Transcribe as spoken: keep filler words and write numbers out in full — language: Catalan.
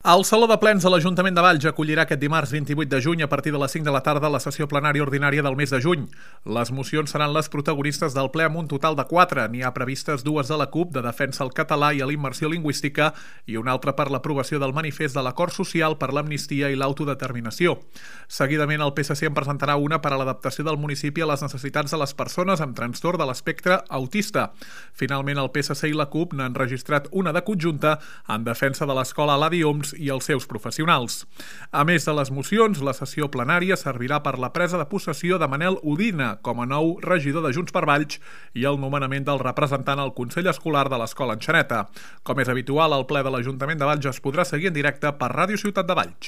El Saló de Plens de l'Ajuntament de Valls acollirà aquest dimarts vint-i-vuit de juny a partir de les cinc de la tarda la sessió plenària ordinària del mes de juny. Les mocions seran les protagonistes del ple amb un total de quatre. N'hi ha previstes dues de la CUP, de defensa al català i a la immersió lingüística, i una altra per l'aprovació del manifest de l'acord social per l'amnistia i l'autodeterminació. Seguidament, el P S C en presentarà una per a l'adaptació del municipi a les necessitats de les persones amb trastorn de l'espectre autista. Finalment, el P S C i la CUP n'han registrat una de conjunta en defensa de l'escola Eladi Homs i els seus professionals. A més de les mocions, la sessió plenària servirà per la presa de possessió de Manel Udina com a nou regidor de Junts per Valls i el nomenament del representant al Consell Escolar de l'Escola Enxaneta. Com és habitual, el ple de l'Ajuntament de Valls es podrà seguir en directe per Ràdio Ciutat de Valls.